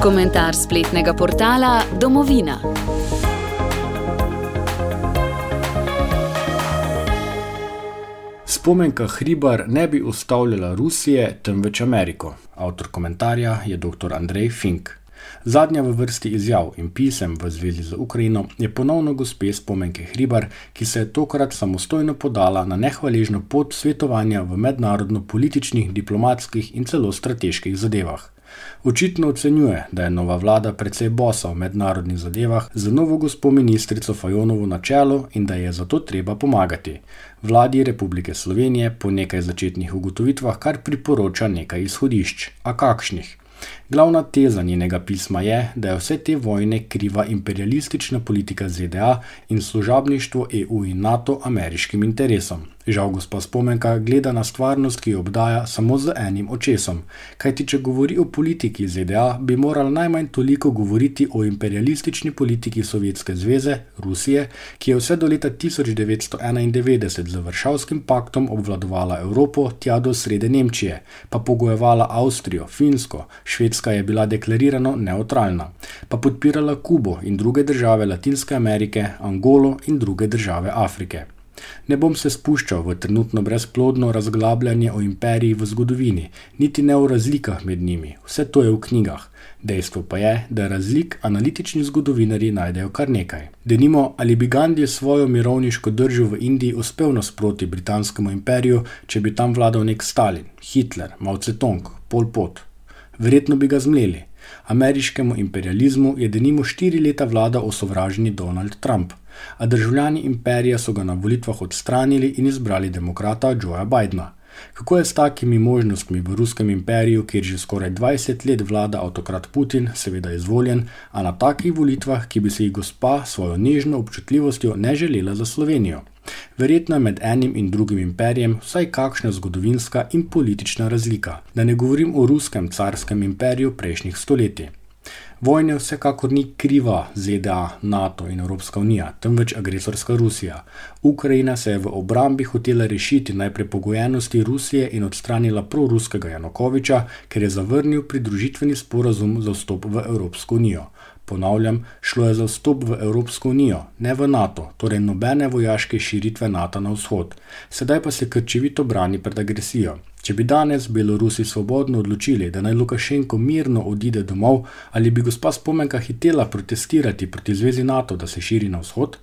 Komentar spletnega portala Domovina. Spomenka Hribar ne bi ustavljala Rusije, temveč Ameriko. Avtor komentarja je dr. Andrej Fink. Zadnja v vrsti izjav in pisem v zvezi z Ukrajino je ponovno gospe Spomenke Hribar, ki se je tokrat samostojno podala na nehvaležno pot svetovanja v mednarodno-političnih, diplomatskih in celo strateških zadevah. Očitno ocenjuje, da je nova vlada precej bosa v mednarodnih zadevah z novo gospo ministrico Fajonovo na čelu in da je zato treba pomagati. Vladi Republike Slovenije po nekaj začetnih ugotovitvah kar priporoča nekaj izhodišč. A kakšnih? Glavna teza njenega pisma je, da je vse te vojne kriva imperialistična politika ZDA in služabništvo EU in NATO ameriškim interesom. Žal gospa Spomenka gleda na stvarnost, ki jo obdaja, samo z enim očesom. Kajti če govori o politiki ZDA, bi moral najmanj toliko govoriti o imperialistični politiki Sovjetske zveze, Rusije, ki je vse do leta 1991 z Varšavskim paktom obvladovala Evropo tja do srede Nemčije, pa pogojevala Avstrijo, Finsko, Švedska je bila deklarirano nevtralna, pa podpirala Kubo in druge države Latinske Amerike, Angolo in druge države Afrike. Ne bom se spuščal v trenutno brezplodno razglabljanje o imperiji v zgodovini, niti ne o razlikah med njimi, vse to je v knjigah. Dejstvo pa je, da razlik analitični zgodovinarji najdejo kar nekaj. Denimo, ali bi Gandhi svojo mirovniško držo v Indiji uspel nasproti britanskemu imperiju, če bi tam vladal nek Stalin, Hitler, Mao Tse-tung, Pol Pot. Verjetno bi ga zmleli. Ameriškemu imperializmu je denimo 4 leta vladal osovraženi Donald Trump, a državljani imperija so ga na volitvah odstranili in izbrali demokrata Joea Bidena. Kako je s takimi možnostmi v ruskem imperiju, kjer že skoraj 20 let vlada avtokrat Putin, seveda izvoljen, a na takih volitvah, ki bi se jih gospa svojo nežno občutljivostjo ne želela za Slovenijo? Verjetno je med enim in drugim imperijem vsaj kakšna zgodovinska in politična razlika, da ne govorim o ruskem carskem imperiju prejšnjih stoletij. Vojne vsekakor ni kriva ZDA, NATO in Evropska unija, temveč agresorska Rusija. Ukrajina se je v obrambi hotela rešiti najprej pogojenosti Rusije in odstranila proruskega Janukoviča, ker je zavrnil pridružitveni sporazum za vstop v Evropsko unijo. Ponavljam, šlo je za vstop v Evropsko unijo, ne v NATO, torej nobene vojaške širitve NATO na vzhod. Sedaj pa se krčevito brani pred agresijo. Če bi danes Belorusi svobodno odločili, da naj Lukašenko mirno odide domov, ali bi gospa Spomenka hitela protestirati proti zvezi NATO, da se širi na vzhod?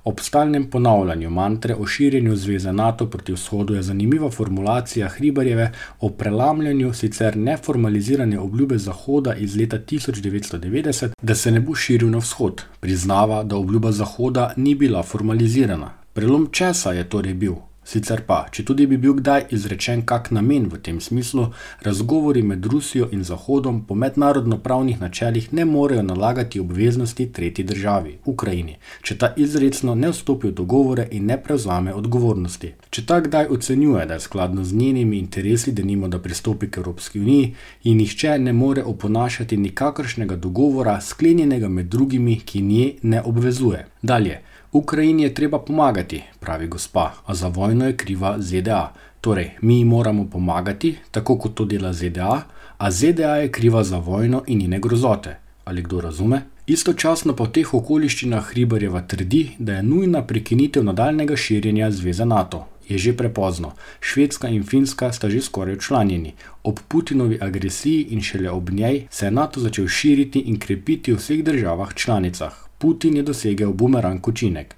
Ob stalnem ponavljanju mantre o širjenju zveze NATO proti vzhodu je zanimiva formulacija Hribarjeve o prelamljanju sicer neformalizirane obljube Zahoda iz leta 1990, da se ne bo širil na vzhod. Priznava, da obljuba Zahoda ni bila formalizirana. Prelom česa je torej bil? Sicer pa, če tudi bi bil kdaj izrečen kak namen v tem smislu, razgovori med Rusijo in Zahodom po mednarodno-pravnih načelih ne morejo nalagati obveznosti tretji državi, Ukrajini, če ta izrecno ne vstopi v dogovore in ne prevzame odgovornosti. Če ta kdaj ocenjuje, da je skladno z njenimi interesi, denimo da pristopi k Evropski uniji, in nihče ne more oponašati nikakršnega dogovora, sklenjenega med drugimi, ki nje ne obvezuje. Dalje. Ukrajini je treba pomagati, pravi gospa, a za vojno je kriva ZDA. Torej, mi moramo pomagati, tako kot to dela ZDA, a ZDA je kriva za vojno in njene grozote. Ali kdo razume? Istočasno pa v teh okoliščinah Hribarjeva trdi, da je nujna prekinitev nadaljnega širjenja zveze NATO. Je že prepozno. Švedska in Finska sta že skoraj včlanjeni. Ob Putinovi agresiji in šele ob njej se je NATO začel širiti in krepiti v vseh državah članicah. Putin je dosegel bumerang učinek.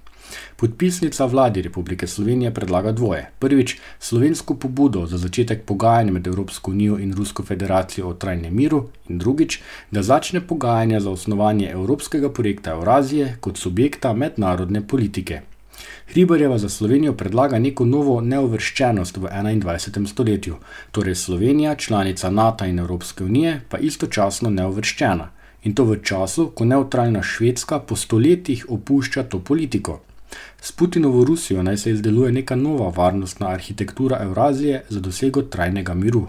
Podpisnica vladi Republike Slovenije predlaga dvoje. Prvič, slovensko pobudo za začetek pogajanj med Evropsko unijo in Rusko federacijo o trajnem miru in drugič, da začne pogajanja za osnovanje evropskega projekta Evrazije kot subjekta mednarodne politike. Hribarjeva za Slovenijo predlaga neko novo neuvrščenost v 21. stoletju, torej Slovenija, članica NATO in Evropske unije, pa istočasno neuvrščena. In to v času, ko nevtralna Švedska po stoletjih opušča to politiko. S Putinovo Rusijo naj se izdeluje neka nova varnostna arhitektura Evrazije za dosego trajnega miru.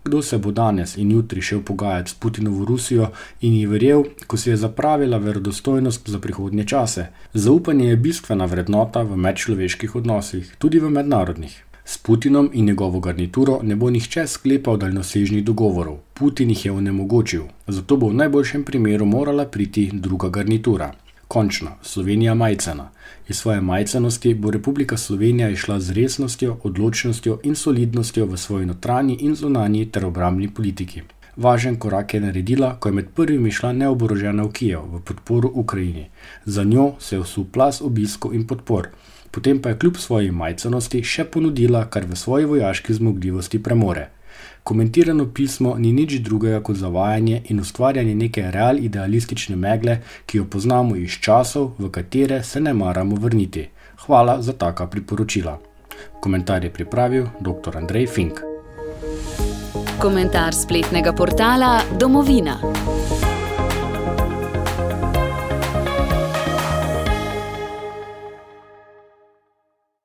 Kdo se bo danes in jutri šel pogajati s Putinovo Rusijo in ji verjel, ko si je zapravila verodostojnost za prihodnje čase? Zaupanje je bistvena vrednota v medčloveških odnosih, tudi v mednarodnih. S Putinom in njegovo garnituro ne bo nihče sklepal daljnosežnih dogovorov. Putin jih je onemogočil, zato bo v najboljšem primeru morala priti druga garnitura. Končno, Slovenija majcena. Iz svoje majcenosti bo Republika Slovenija išla z resnostjo, odločnostjo in solidnostjo v svoji notranji in zunanji ter obrambni politiki. Važen korak je naredila, ko je med prvimi šla neoborožena v Kijev v podporu Ukrajini. Za njo se je vsul plaz obiskov in podpor. Potem pa je kljub svoji majcenosti še ponudila, kar v svoji vojaški zmogljivosti premore. Komentirano pismo ni nič drugega kot zavajanje in ustvarjanje neke real idealistične megle, ki jo poznamo iz časov, v katere se ne maramo vrniti. Hvala za taka priporočila. Komentar je pripravil dr. Andrej Fink. Komentar spletnega portala Domovina.